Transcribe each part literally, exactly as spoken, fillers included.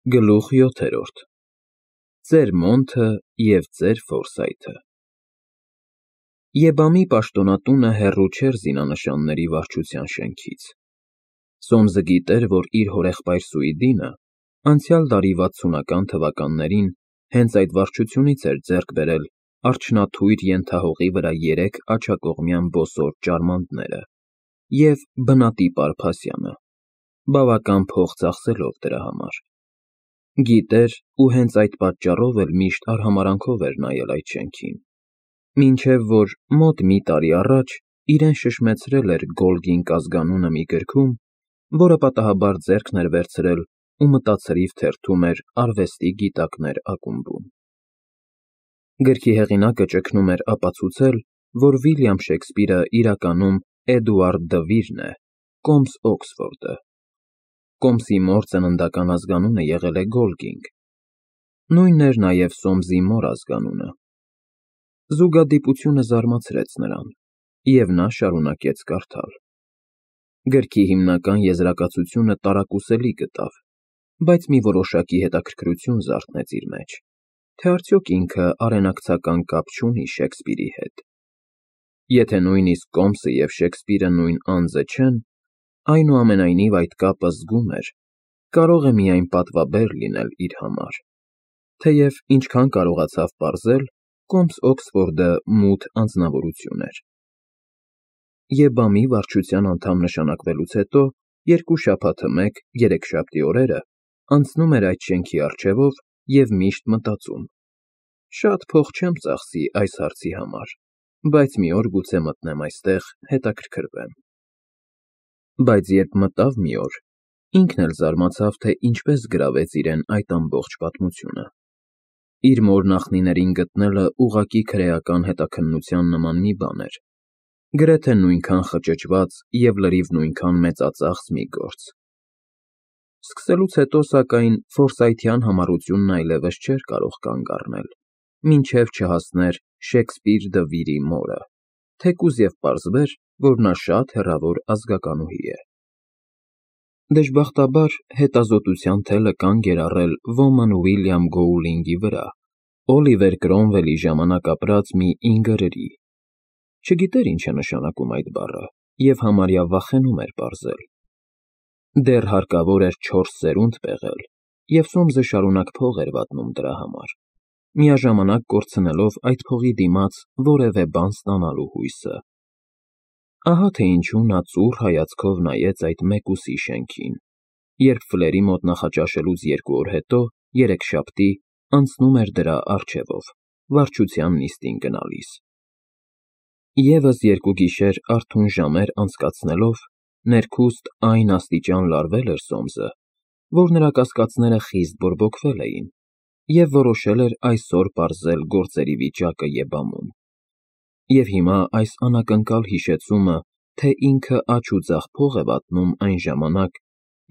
Գլուխ յոթերորդ Ձեր Մոնթը և ձեր Ֆորսայթը Եբամի պաշտոնատունը հեռու չէր զինանշանների վարչության շենքից։ Սոմսը գիտեր, որ իր հորեղբայր Սուիդինը անցյալ դարի վաթսունական թվականներին հենց այդ վարչությունից էր ձեռք բերել արջնաթույր ենթահողի վրա երեք աջակողմյան բոսոր ճարմանտները և բնատիպ Արփասյանը, բավական փող ծախսելով դրա համար։ Գիտեր ու հենց այդ պատճառով էլ միշտ արհամարհանքով էր նայել այդ շենքին, մինչև որ մոտ մի տարի առաջ իրեն շշմեցրել էր Գոլգինկ ազգանունը մի գրքում, որը պատահաբար ձեռքն էր վերցրել ու մտացրիվ թերթում էր Արվեստի գիտակներ ակումբում։ Գրքի հեղինակը ճգնում էր ապացուցել, որ Վիլյամ Շեքսպիրը իրականում Էդուարդ դը Վիրն է, կոմս Օքսֆորդը։ Կոմսի մոր ծննդական ազգանունը եղել է Գոլգինկ, նույնն էր նաև Սոմսի մոր ազգանունը։ Զուգադիպությունը զարմացրեց նրան, և նա շարունակեց կարդալ։ Գրքի հիմնական եզրակացությունը տարակուսելի գտավ, բայց մի որոշակի հետաքրքրություն զարթնեց իր մեջ, թե արդյոք ինքը արենակցական կապ չունի Շեքսպիրի հետ։ Եթե նույնիսկ Կոմսը և Շեքսպիրը նույն անձը չեն, այնուամենայնիվ այդ կապը զգում էր, կարող է միայն պատվաբեր լինել իր համար, թեև ինչքան կարողացավ պարզել, կոմս Օքսֆորդը մութ անձնավորություն էր։ Եբամի վարչության անդամ նշանակվելուց հետո երկու շաբաթը մեկ երեքշաբթի օրերը անցնում էր այդ շենքի առջևով և միշտ մտածում. «Շատ փող չեմ ծախսի այս հարցի համար, բայց մի օր գուցե մտնեմ այստեղ, հետաքրքրվեմ»։ Բայց երբ մտավ մի օր, ինքն էլ զարմացավ, թե ինչպես գրավեց իրեն այդ ամբողջ պատմությունը։ Իր մոր նախնիներին գտնելը ուղղակի քրեական հետաքննության նման մի բան էր, գրեթե նույնքան խճճված և լրիվ նույնքան մեծածախս մի գործ։ Սկսելուց հետո, սակայն, ֆորսայթյան համառությունն այլևս չէր կարող կանգ առնել, մինչև չհասներ Շեքսպիր դը Վիրի մորը, թեկուզ և պարզվեր, որ նա շատ հեռավոր ազգականուհի է։ Դժբախտաբար, հետազոտության թելը կանգ էր առել ոմն Ուիլյամ Գոուլինգի վրա, Օլիվեր Կրոմվելի ժամանակ ապրած մի ինգրերի։ Չգիտեր ինչ է նշանակում այդ բառը և համարյա վախենում էր պարզել։ Դեռ հարկավոր էր չորս սերունդ պեղել, և Սոմսը շարունակ փող էր վատնում դրա համար, միաժամանակ կորցնելով այդ փողի դիմաց որևէ բան ստանալու հույսը։ Ահա թե ինչու նա ծուռ հայացքով նայեց այդ մեկուսի շենքին, երբ Ֆլերի մոտ նախաճաշելուց երկու օր հետո, երեքշաբթի, անցնում էր դրա առջևով, վարչության նիստին գնալիս։ Եվս երկու գիշեր արթուն ժամեր անցկացնելով, ներքուստ այն աստիճան լարվել էր Սոմսը, որ նրա կասկածները խիստ բորբոքվել էին, և որոշել էր այսօր պարզել գործերի վիճակը Եբամում։ Եվ հիմա այս անակնկալ հիշեցումը, թե ինքը աջ ու ձախ փող է վատնում այն ժամանակ,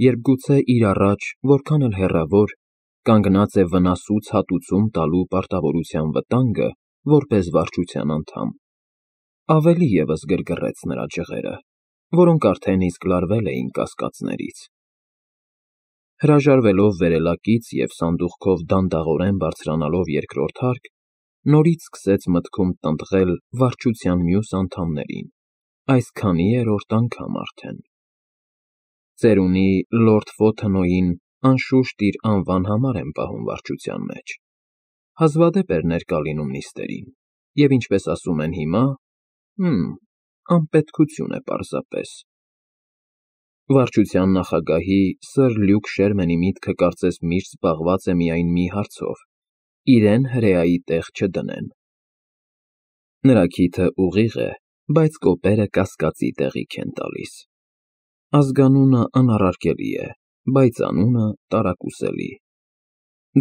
երբ գուցե իր առաջ, որքան էլ հեռավոր, կանգնած է վնասուց հատուցում տալու պարտավորության վտանգը որպես վարչության անդամ, ավելի ևս գրգռեց նրա ջղերը, որոնք արդեն իսկ լարվել էին կասկածներից։ Հրաժարվելով վերելակից և սանդուղքով դանդաղորեն բարձրանալով երկրորդ հարկ, նորից սկսեց մտքում տնտղել վարչության մյուս անդամներին, այսքանի երրորդ անգամ արդեն։ Ծերունի լորդ Ֆոթենոյին անշուշտ իր անվան համար են պահում վարչության մեջ, հազվադեպ էր ներկա լինում նիստերին, և ինչպես ասում են հիմա, հըմ, անպետքություն է պարզապես։ Վարչության նախագահի սըր Լյուկ Շերմենի միտքը կարծես միշտ զբաղված է միայն մի հարցով՝ իրեն հրեայի տեղ չդնեն։ Նրա քիթը ուղիղ է, բայց կոպերը կասկածի տեղիք են տալիս։ Ազգանունը անառարկելի է, բայց անունը տարակուսելի։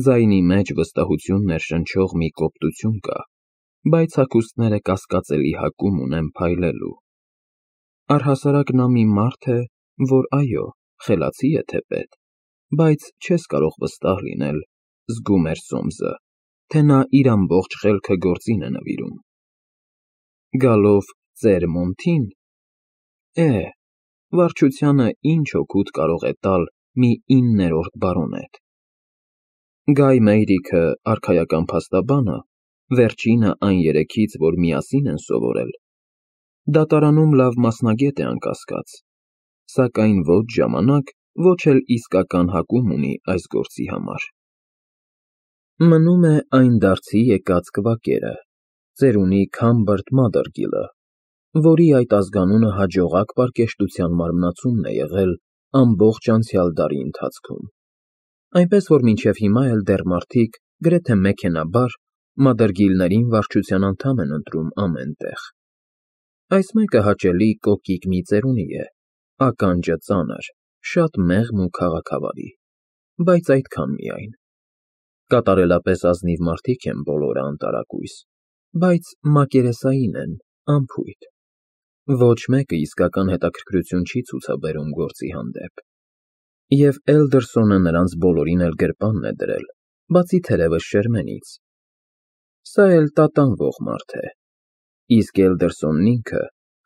Ձայնի մեջ վստահություն ներշնչող մի կոպտություն կա, բայց հագուստները կասկածելի հակում ունեն փայլելու։ Առհասարակ նա մի մարդ է, որ, այո, խելացի է թեպետ, բայց չես կարող վստահ լինել, զգում էր Սոմսը, թե նա իր ամբողջ խելքը գործին է նվիրում։ Գալով ծեր Մոնթին, է, վարչությանը ինչ օգուտ կարող է տալ մի իններորդ բարոնետ, Գայ Մեյրիքը, արքայական փաստաբանը, վերջինը այն երեքից, որ միասին են սովորել, դատարանում լավ մասնագետ է անկասկած, սակայն ոչ ժամանակ, ոչ էլ իսկական հակում ունի այս գործի համար։ Մնում է այն դարձի եկած կվակերը, ծերունի Քամբերտ Մադերգիլը, որի այդ ազգանունը հաջողակ պարկեշտության մարմնացումն է եղել ամբողջ անցյալ դարի ընթացքում, այնպես որ մինչև հիմա էլ դեռ մարդիկ, գրեթե մեքենաբար, Մադերգիլներին վարչության անդամ են ընտրում ամեն տեղ։ Այս մեկը հաճելի կոկիկ մի ծերունի է, ականջը ծանր, շատ մեղմ ու քաղաքավարի, բայց այդքան միայն։ Կատարելապես ազնիվ մարդիկ են բոլորը անտարակույս, բայց մակերեսային են, անփույթ։ Ոչ մեկը իսկական հետաքրքրություն չի ցուցաբերում գործի հանդեպ։ Եվ Էլդերսոնը նրանց բոլորին էլ գրպանն է դրել, բացի թերևս Շերմենից։ Սա էլ տատանվող մարդ է։ Իսկ Էլդերսոնն ինքը,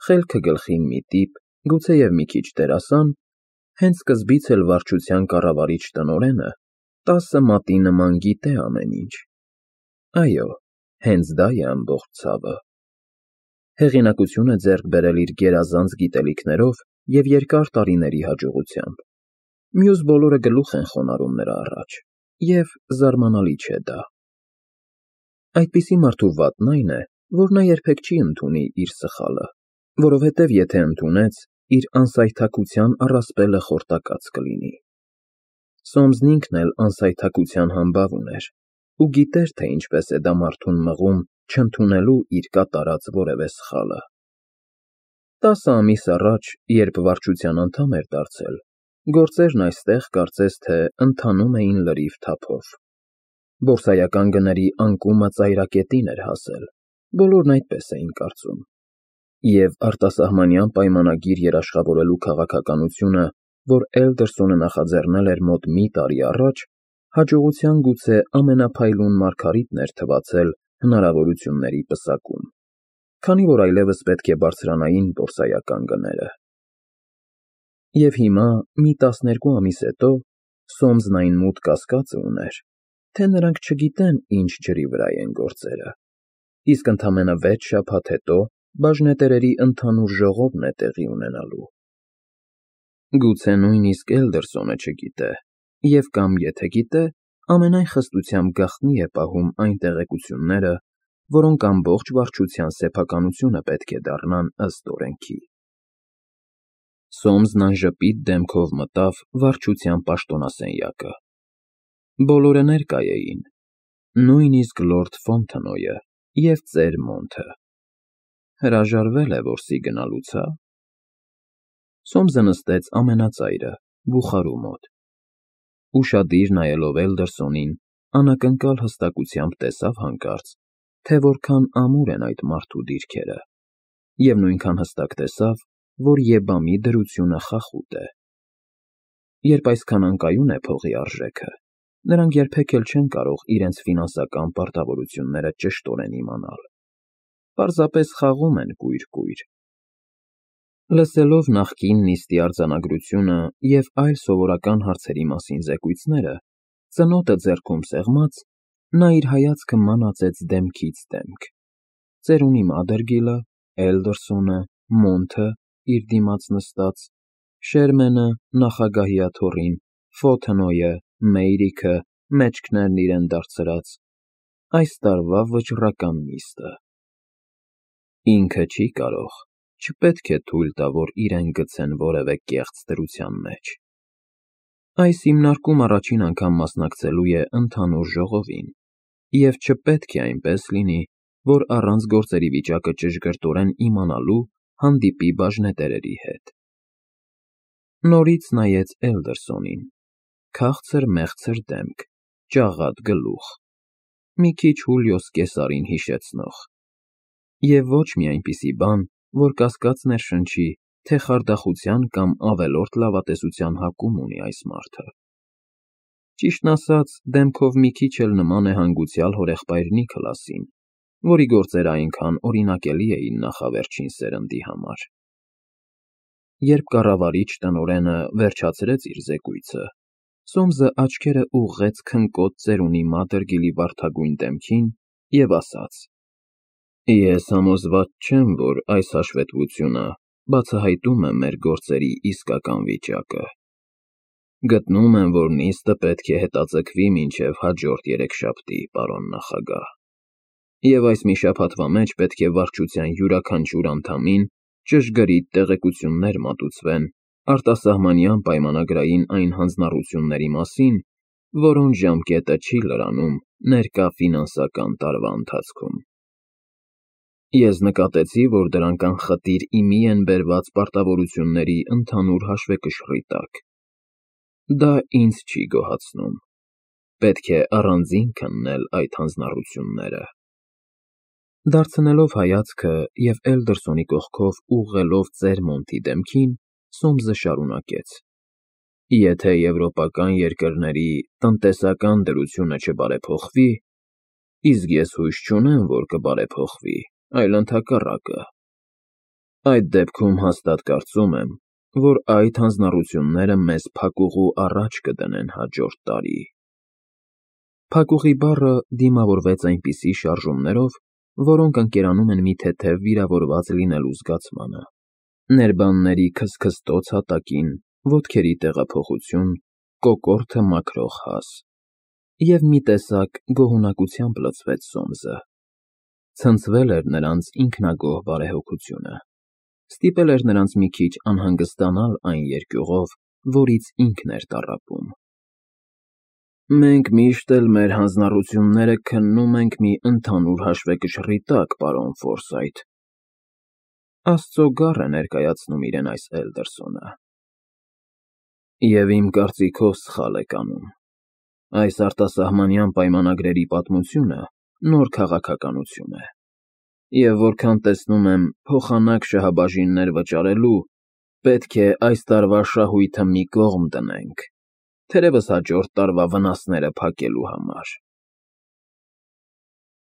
խելքը գլխին մի տիպ, գուցեև մի քիչ դերասան, հենց սկզբից էլ վարչության կառավարիչ տնօրենը, տասը մատի նման գիտե ամեն ինչ։ Այո, հենց դա է ամբողջ ցավը։ Հեղինակությունը ձեռք բերել իր գերազանց գիտելիքներով և երկար տարիների հաջողությամբ։ Մյուս բոլորը գլուխ են խոնարհում նրա առաջ, և զարմանալի չէ դա։ Այդպիսի մարդու վատն այն է, որ նա երբեք չի ընդունի իր սխալը, որովհետև եթե ընդունեց, իր անսայթաքության առասպելը խորտակած կլինի։ Սոմսն ինքն էլ անսայթաքության համբավ ուներ ու գիտեր, թե ինչպես է դա մարդուն մղում չընդունելու իր կատարած որևէ սխալը։ Տասը ամիս առաջ, երբ վարչության անդամ էր դարձել, գործերն այստեղ կարծես թե ընթանում էին լրիվ թափով։ Բորսայական գների անկումը ծայրակետին էր հասել, բոլորն այդպես էին կարծում։ Եվ արտասահմանյան պայմանագիր երաշխավորելու քաղաքականությունը, որ Էլդերսոնը նախաձեռնել էր մոտ մի տարի առաջ, հաջողության գուցե ամենափայլուն մարգարիտն էր թվացել հնարավորությունների պսակում, քանի որ այլևս պետք է բարձրանային բորսայական գները։ Եվ հիմա, մի տասներկու ամիս հետո, Սոմսն այն մութ կասկածը ուներ, թե նրանք չգիտեն ինչ ջրի վրա են գործերը, իսկ ընդամենը վեց շաբաթ հետո բաժնետերերի ընդհանուր ժողովն է տեղի ունենալու։ Գուցե նույնիսկ Էլդերսոնը չգիտե, և կամ եթե գիտե, ամենայն խստությամբ գաղտնի է պահում այն տեղեկությունները, որոնք ամբողջ վարչության սեփականությունը պետք է դառնան ըստ օրենքի։ Սոմսն անժպիտ դեմքով մտավ վարչության պաշտոնասենյակը։ Բոլորը ներկա էին, նույնիսկ լորդ Ֆոնթենոյը և ծեր Մոնթը։ Հրաժարվել է որսի գնալուց, հա՞։ Սոմսը նստեց ամենածայրը, բուխարու մոտ։ Ուշադիր նայելով Էլդերսոնին, անակնկալ հստակությամբ տեսավ հանկարծ, թե որքան ամուր են այդ մարդու դիրքերը, և նույնքան հստակ տեսավ, որ եբամի դրությունը խախուտ է։ Երբ այսքան անկայուն է փողի արժեքը, նրանք երբեք էլ չեն կարող իրենց ֆինանսական պարտավորությունները ճշտորեն իմանալ։ Պարզապես խաղում են կույր֊կույր։ Լսելով նախկին նիստի արձանագրությունը և այլ սովորական հարցերի մասին զեկույցները, ծնոտը ձեռքում սեղմած, նա իր հայացքը մանածեց դեմքից դեմք. ծերունի Մադերգիլը, Էլդերսոնը, Մոնթը իր դիմաց նստած, Շերմենը, նախագահի աթոռին, Ֆոնթենոյը, Մեյրիքը, մեջքներն իրեն դարձրած, այս տարվա վճռական նիստը։ Ինքը չի կարող, չպետք է թույլ տա, որ իրեն գցեն որևէ կեղծ դրության մեջ։ Այս հիմնարկում առաջին անգամ մասնակցելու է ընդհանուր ժողովին, և չպետք է այնպես լինի, որ առանց գործերի վիճակը ճշգրտորեն իմանալու հանդիպի բաժնետերերի հետ։ Նորից նայեց Էլդերսոնին, քաղցր մեղցր դեմք, ճաղատ գլուխ, մի քիչ Հուլիոս Կեսարին հիշեցնող, և ոչ մի այնպիսի բան, որ կասկած ներշնչի, թե խարդախության կամ ավելորդ լավատեսության հակում ունի այս մարդը։ Ճիշտն ասած, դեմքով մի քիչ էլ նման է հանգուցյալ հորեղբայր Նիքլասին, որի գործերը այնքան օրինակելի էին նախավերջին սերնդի համար։ Երբ կառավարիչ տնօրենը վերջացրեց իր զեկույցը, Սոմսը աչքերը ուղղեց քնկոտ ծերունի մատերգիլի վարդագույն դեմքին և ասաց. Ես համոզված չեմ, որ այս հաշվետվությունը բացահայտում է մեր գործերի իսկական վիճակը։ Գտնում եմ, որ նիստը պետք է հետաձգվի մինչև հաջորդ երեքշաբթի, պարոն նախագահ, և այս մի շաբաթվա մեջ պետք է վարչության յուրաքանչյուր անդամին ճշգրիտ տեղեկություններ մատուցվեն արտասահմանյան պայմանագրային այն հանձնառությունների մասին, որոնց ժամկետը չի լրանում ներկա ֆինանսական տարվա ընթացքում։ Ես նկատեցի, որ դրանք անխտիր ի մի են բերված պարտավորությունների ընդհանուր հաշվեկշռի տակ։ Դա ինձ չի գոհացնում։ Պետք է առանձին քննել այդ հանձնառությունները։ Դարձնելով հայացքը և Էլդերսոնի կողքով ուղղելով Ծերմոնտի դեմքին, Սոմսը շարունակեց. Եթե եվրոպական երկրների տնտեսական դրությունը չբարեփոխվի, իսկ ես հույս չունեմ, որ կբարեփոխվի, այլ ընդհակառակը, այդ դեպքում հաստատ կարծում եմ, որ այդ հանձնառությունները մեզ փակուղու առաջ կդնեն հաջորդ տարի։ Փակուղի բառը դիմավորվեց այնպիսի շարժումներով, որոնք ընկերանում են մի թեթև վիրավորված լինելու զգացմանը, ներբանների քստքստոց հատակին, ոտքերի տեղափոխություն, կոկորդը մաքրող հաս, և մի տեսակ գոհունակությամբ լցվեց Սոմսը։ Ցնցվել էր նրանց ինքնագոհ բարեհոգությունը, ստիպել էր նրանց մի քիչ անհանգստանալ այն երկյուղով, որից ինքն էր տառապում։ Մենք միշտ էլ մեր հանձնառությունները քննում ենք մի ընդհանուր հաշվեկշռի տակ, պարոն Ֆորսայթ, Աստծո գառ է ներկայացնում իրեն այս Էլդերսոնը։ Եվ իմ կարծիքով սխալ եք անում։ Այս արտասահմանյան պայմանագրերի պատմությունը նոր քաղաքականություն է, և որքան տեսնում եմ փոխանակ շահաբաժիններ վճարելու, պետք է այս տարվա շահույթը մի կողմ դնենք, թերևս հաջորդ տարվա վնասները փակելու համար։